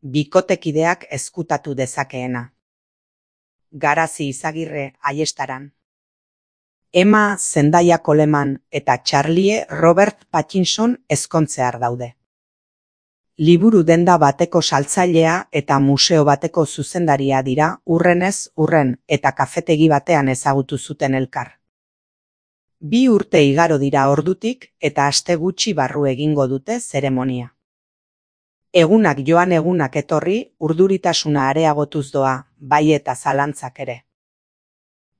bikotekideak ezkutatu dezakeena. Garazi Izagirre Aiestaran. Emma Zendaya Coleman eta Charlie Robert Pattinson ezkontzear daude. Liburu denda bateko saltzailea eta museo bateko zuzendaria dira urrenez urren eta kafetegi batean ezagutu zuten elkar. 2 urte igaro dira ordutik eta aste gutxi barru egingo dute zeremonia. Egunak joan egunak etorri, urduritasuna areagotuz doa, bai eta zalantzak ere.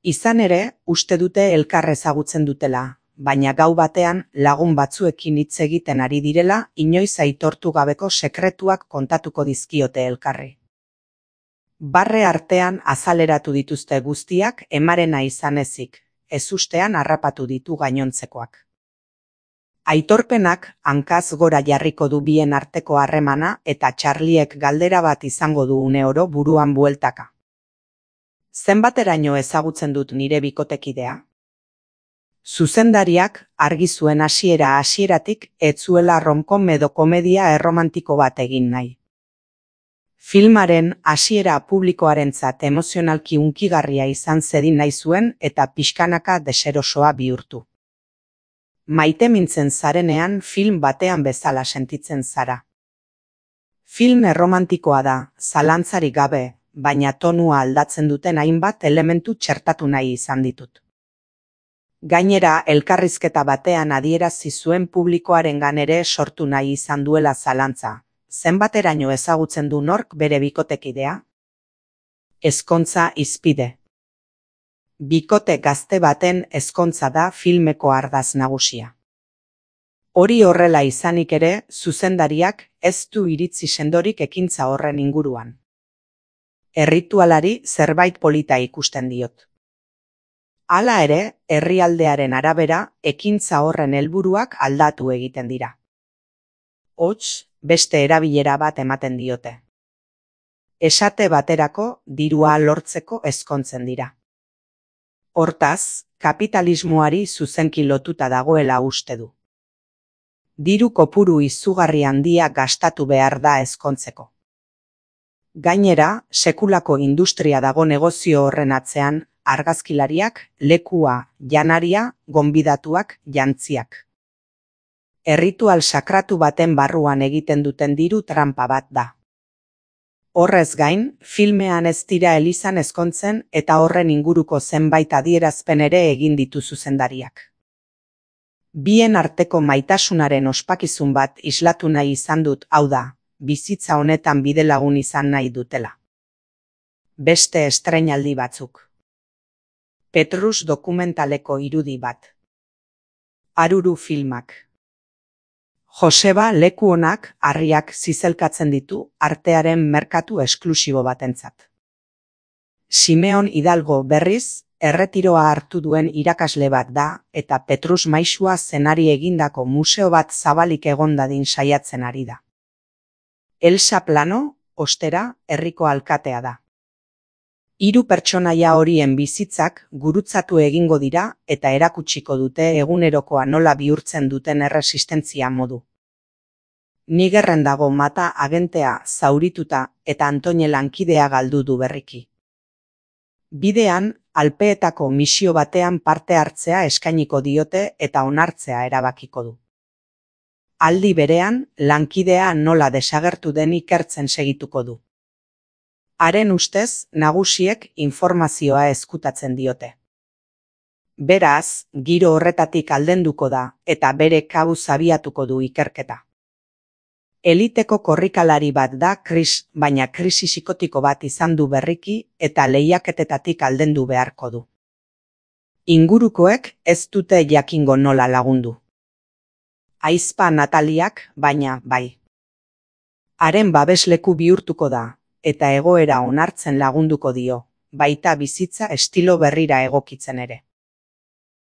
Izan ere, uste dute elkar ezagutzen dutela, baina gau batean lagun batzuekin hitz egiten ari direla inoiz aitortu gabeko sekretuak kontatuko dizkiote elkarri. Barre artean azaleratu dituzte guztiak Emmarena izan ezik, ezustean harrapatu ditu gainontzekoak. Aitorpenak hankaz gora jarriko du bien arteko harremana eta Charliek galdera bat izango du uneoro buruan bueltaka. Zenbateraino ezagutzen dut nire bikotekidea? Zuzendariak argi zuen hasieratik ez zuela romkom edo komedia erromantiko bat egin nahi. Filmaren hasiera publikoarentzat emozionalki hunkigarria izan zedin nahi zuen eta pixkanaka deserosoa bihurtu. Maite mintzen zarenean film batean bezala sentitzen zara. Film erromantikoa da, zalantzarik gabe, baina tonua aldatzen duten hainbat elementu txertatu nahi izan ditut. Gainera, elkarrizketa batean adierazi zuen publikoarengan ere sortu nahi izan duela zalantza. Zenbateraino ezagutzen du nork bere bikotekidea? Ezkontza hizpide. Bikote gazte baten ezkontza da filmeko ardatz nagusia. Hori horrela izanik ere, zuzendariak ez du iritzi sendorik ekintza horren inguruan. Erritualari zerbait polita ikusten diot. Hala ere, herrialdearen arabera, ekintza horren helburuak aldatu egiten dira. Hots, beste erabilera bat ematen diote. Esate baterako, dirua lortzeko ezkontzen dira. Hortaz, kapitalismoari zuzenki lotuta dagoela uste du. Diru kopuru izugarri handia gastatu behar da ezkontzeko. Gainera, sekulako industria dago negozio horren atzean, argazkilariak, lekua, janaria, gonbidatuak, jantziak. Erritual sakratu baten barruan egiten duten diru tranpa bat da. Horrez gain, filmean ez dira elizan ezkontzen eta horren inguruko zenbait adierazpen ere egin ditu zuzendariak. Bien arteko maitasunaren ospakizun bat islatu nahi izan dut, hau da, bizitza honetan bidelagun izan nahi dutela. Beste estreinaldi batzuk. Petrus dokumentaleko irudi bat. Aruru filmak. Joseba leku onak harriak zizelkatzen ditu artearen merkatu esklusibo batentzat. Simeon Hidalgo berriz, erretiroa hartu duen irakasle bat da eta Petrus maisua zenari egindako museo bat zabalik egon dadin saiatzen ari da. Elsa Plano, ostera, herriko alkatea da. 3 pertsonaia horien bizitzak gurutzatu egingo dira eta erakutsiko dute egunerokoa nola bihurtzen duten erresistentzia modu. Nigerren dago mata agentea zaurituta eta Antoine lankidea galdu du berriki. Bidean, Alpeetako misio batean parte hartzea eskainiko diote eta onartzea erabakiko du. Aldi berean, lankidea nola desagertu den ikertzen segituko du. Haren ustez, nagusiek informazioa ezkutatzen diote. Beraz, giro horretatik aldenduko da eta bere kabuz abiatuko du ikerketa. Eliteko korrikalari bat da Chris, baina krisi psikotiko bat izan du berriki eta lehiaketetatik aldendu beharko du. Ingurukoek ez dute jakingo nola lagundu. Ahizpa Nataliak, baina bai. Haren babesleku bihurtuko da, eta egoera onartzen lagunduko dio, baita bizitza estilo berrira egokitzen ere.